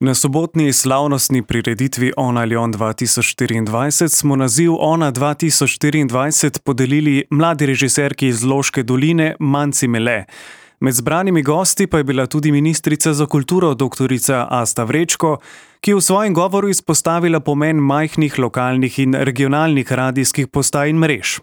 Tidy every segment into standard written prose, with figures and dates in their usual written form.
Na sobotni slavnostni prireditvi Ona Ljon 2024 smo naziv Ona 2024 podelili mladi režiserki iz Loške doline Manci Mele. Med zbranimi gosti pa je bila tudi ministrica za kulturo dr. Asta Vrečko, ki je v svojem govoru izpostavila pomen majhnih lokalnih in regionalnih radijskih postaj in mrež.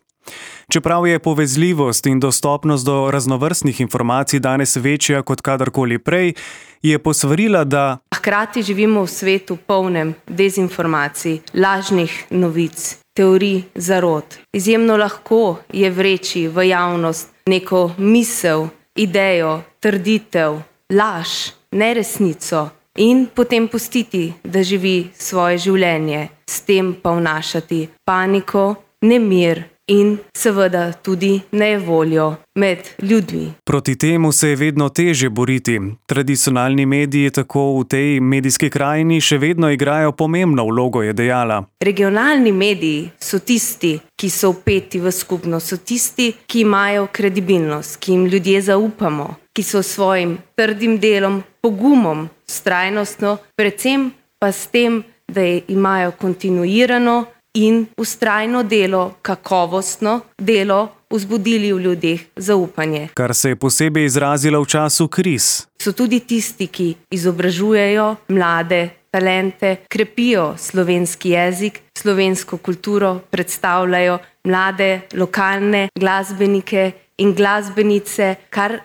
Čeprav je povezljivost in dostopnost do raznovrstnih informacij danes večja kot kadarkoli prej, je posvarila, da hkrati živimo v svetu polnem dezinformacij, lažnih novic, teorij zarot. Izjemno lahko je vreči v javnost neko misel, idejo, trditev, laž, neresnico in potem pustiti, da živi svoje življenje, s tem pa vnašati paniko, nemir in seveda tudi nejevoljo med ljudmi. Proti temu se je vedno težje boriti. Tradicionalni mediji tako v tej medijski krajini še vedno igrajo pomembno vlogo, je dejala. Regionalni mediji so tisti, ki so vpeti v skupnost, so tisti, ki imajo kredibilnost, ki jim ljudje zaupamo, ki so svojim trdim delom, pogumom, vztrajnostno, predvsem pa s tem, da imajo kontinuirano in vztrajno delo, kakovostno delo, vzbudili v ljudeh zaupanje. Kar se je posebej izrazilo v času kriz. So tudi tisti, ki izobražujejo mlade talente, krepijo slovenski jezik, slovensko kulturo, predstavljajo mlade lokalne glasbenike in glasbenice, kar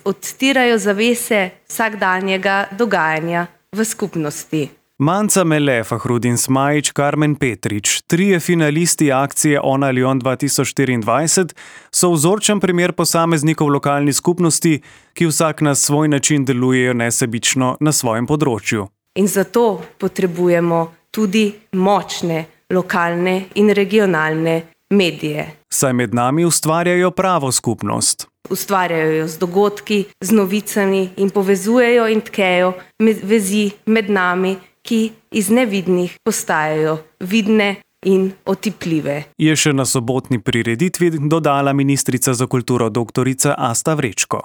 odstirajo zavese vsakdanjega dogajanja v skupnosti. Manca Mele, Fahrudin Smajić, Karmen Petrič, trije finalisti akcije Ona Ljon 2024, so vzorčen primer posameznikov v lokalni skupnosti, ki vsak na svoj način delujejo nesebično na svojem področju. In zato potrebujemo tudi močne lokalne in regionalne medije. Saj med nami ustvarjajo pravo skupnost. Ustvarjajo jo z dogodki, z novicami in povezujejo in tkejo vezi med nami, ki iz nevidnih postajajo vidne in otipljive. Je še na sobotni prireditvi dodala ministrica za kulturo dr. Asta Vrečko.